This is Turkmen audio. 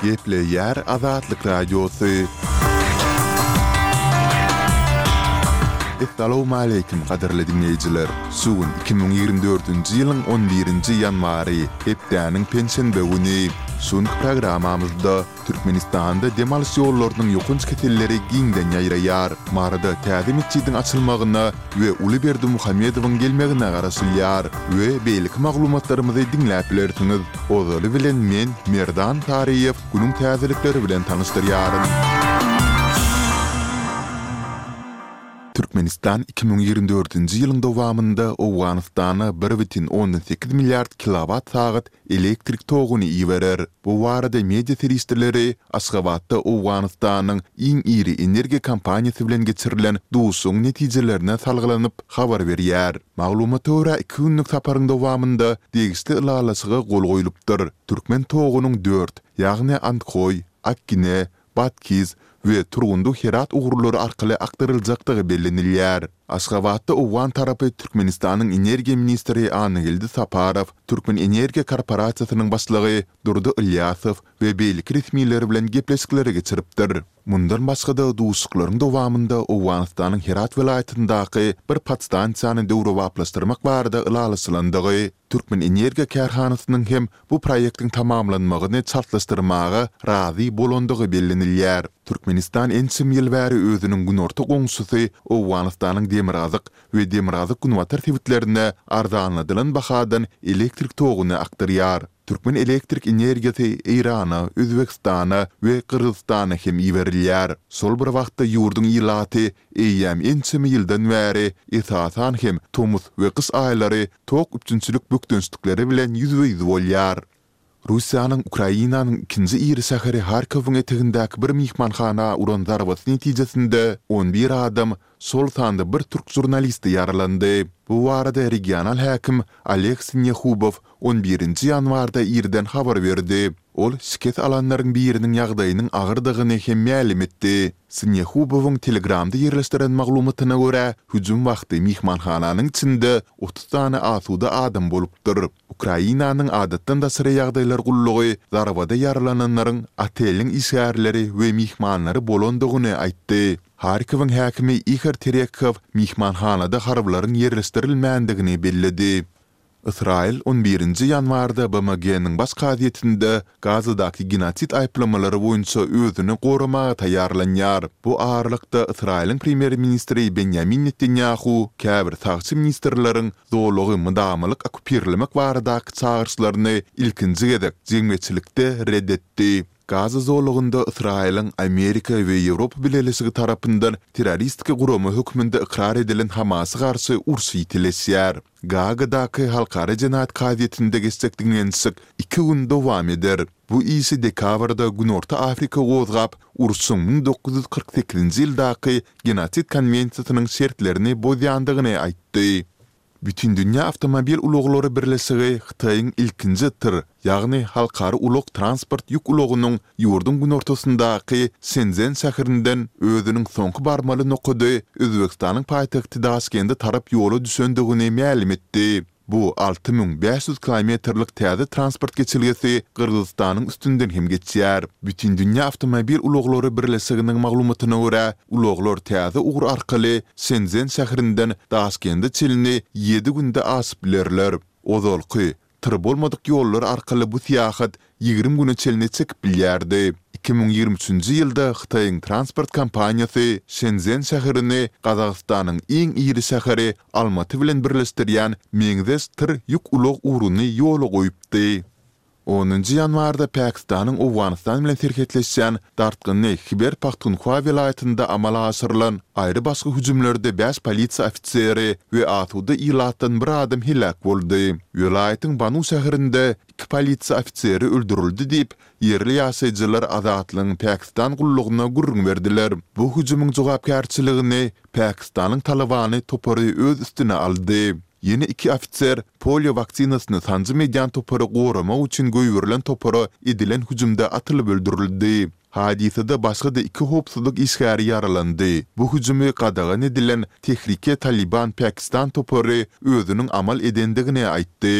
Gepleýär Azatlyk Radiosy. Essalawmaleýkim gadyrly diňleýjiler! Şu gün 2024-nji ýylyň on birinji ýanwary, hepdäniň penşenbe güni. Şu günki programmamyzda Türkmenistanda dem alyş ýollarynyň ýokanç keselleri giňden ýaýraýar. Maryda täze metjidiň açylmagyna we uly Berdimuhamedowyň gelmegine garaşylýar we beýleki maglumatlarymyzy diňläp bilersiňiz. Ozaly bilen men, Merdan Taryýew, günüň täzelikleri bilen tanyşdyrýaryn. Türkmenistan 2024-nji ýylyň dowamynda Owganystana bir bütin ondan sekiz milliard kilowat-sagat elektrik toguny iberer. Bu barada media serişdeleri Aşgabatda Owganystanyň iň iri energiýa kompaniýasy bilen geçirilen duşuşygyň netijelerine salgylanyp habar berýär. Maglumata görä, iki günlük saparyň dowamynda degişli ylalaşyga gol goýlupdyr. Türkmen togunyň dört, ýagny Andhoý, Akgine, Batkiz we Turgundy-Herat ugurlary arkaly akdyryljakdygy bellenilýär. Aşgabatda owgan tarapy Türkmenistanyň energiýa ministri Annageldi Saparow, Türkmenenergiýa korporasiýasynyň başlygy Durdy Ylýasow we beýleki resmiler bilen gepleşikleri geçiripdir. Mundan başga-da, duşuşyklaryň dowamynda Owganystanyň Herat welaýatyndaky bir podstansiýany döwrebaplaşdyrmak barada ylalaşylandygy, Türkmenenergiýa kärhanasynyň hem bu proýektiň tamamlanmagyny çaltlaşdyrmaga razy bolandygy bellenilýär. Türkmenistan ençeme ýyl bäri özüniň günorta goňşusy Owganystanyň demirgazyk we demirgazyk-günbatar sebitlerine arzanladylan bahadan elektrik toguny akdyrýar. Türkmen elektrik energiýasy Eýrana, Özbegistana we Gyrgyzystana hem iberilýär. Şol bir wagtda ýurduň ilaty eýýäm ençeme ýyldan bäri, esasan hem tomus we gyş aýlary tok üpjünçilik bökdençlikleri bilen ýüzbe-ýüz bolýar. Russiýanyň Ukrainanyň ikinji iri şäheri Harkowyň etegindäki bir myhmanhana uran zarbasy netijesinde on bir adam, şol sanda bir türk žurnalisti ýaralandy. Bu barada regional häkim Oleg Sinýehubow on birinji ýanwarda irden habar berdi. Ol şikes alanlaryň biriniň ýagdaýynyň agyrdygyny hem mälim etdi. Sinýehubowyň Telegramda ýerleşdiren maglumatyna görä, hüjüm wagty myhmanhananyň içinde 30 sany asuda adam bolupdyr. Ukrainanyň Adatdan daşary ýagdaýlar gullugy zarbada ýaralananlaryň oteliň işgärleri we myhmanlary bolandygyny aýtdy. Harkowyň häkimi Ihor Terekhow myhmanhanada harbylaryň ýerleşdirilmändigini belledi. Ysraýyl on birinji ýanwarda BMG-niň Baş kazyýetinde Gazadaky genosid aýyplamalary boýunça özüni goramaga taýýarlanýar. Bu aralykda, Ysraýylyň premýer-ministri Benýamin Netanýahu käbir sagçy ministrleriň zolagy mydamalyk okkupirlemek baradaky çagyryşlaryny ilkinji gezek jemgyýetçilikde ret etdi. Gaza zolagynda Ysraýylyň Amerika we Ýewropa Bileleşigi tarapyndan terroristik gurama hökmünde ykrar edilen Hamasa garşy uruş ýitileşýär. Gaagadaky Halkara jenaýat kazyýetinde geçjek diňlenişik iki gün dowam eder. Bu işi dekabrda Günorta Afrika gozgap, urşuň 1948-nji ýyldaky Genosid konwensiýasynyň şertlerini bozýandygyny aýtdy. Bütindünýä awtomobil ulaglary birleşigi Hytaýyň ilkinji tyr, ýagny halkara ulag-transport ýük ulagynyň ýurduň günortasyndaky Şençžen şäherinden özüniň soňky barmaly nokady Özbegistanyň paýtagty Daşkende tarap ýola düşendigini mälim etdi. Bu 6500 kilometrlik täze transport geçelgesi Gyrgyzystanyň üstünden hem geçýär. Bütindünýä awtomobil ulaglary birleşiginiň maglumatyna görä, ulaglar täze ugur arkaly Şençžen şäherinden Daşkende çenli ýedi günde aşyp bilerler. Ozalky, tyr bolmadyk ýollar arkaly bu syýahat 20 güne çenli çekip bilýärdi. 2023-nji ýylda Hytaýyň transport kompaniýasy Şençžen şäherini Gazagystanyň iň iri şäheri Almaty bilen birleşdirýän meňzeş tyr ýük ulag ugruny ýola goýupdy. Onunjy ýanwarda Pakistanyň Owganystan bilen serhetleşýän dartgynly Hiber-Pahtunhwa welaýatynda amala aşyrylan aýry-başga hüjümlerde bäş polisiýa ofiseri we asuda ilatdan bir adam heläk boldy. Welaýatyň Banu şäherinde iki polisiýa ofiseri öldürildi diýip, ýerli ýaşaýjylar Azatlygyň Pakistan gullugyna gürrüň berdiler. Bu hüjümiň jogapkärçiligini Pakistanyň Talybany topary öz üstüne aldy. Ýene iki ofiser polio waksinasyny sanjym edýän topary goramak üçin goýberilen topara edilen hüjümde atylyp öldürildi. Hadysada başga-da iki howpsuzlyk işgäri ýaralandy. Bu hüjümi gadagan edilen Tehrike Talyban Pakistan topary özüniň amal edendigini aýtdy.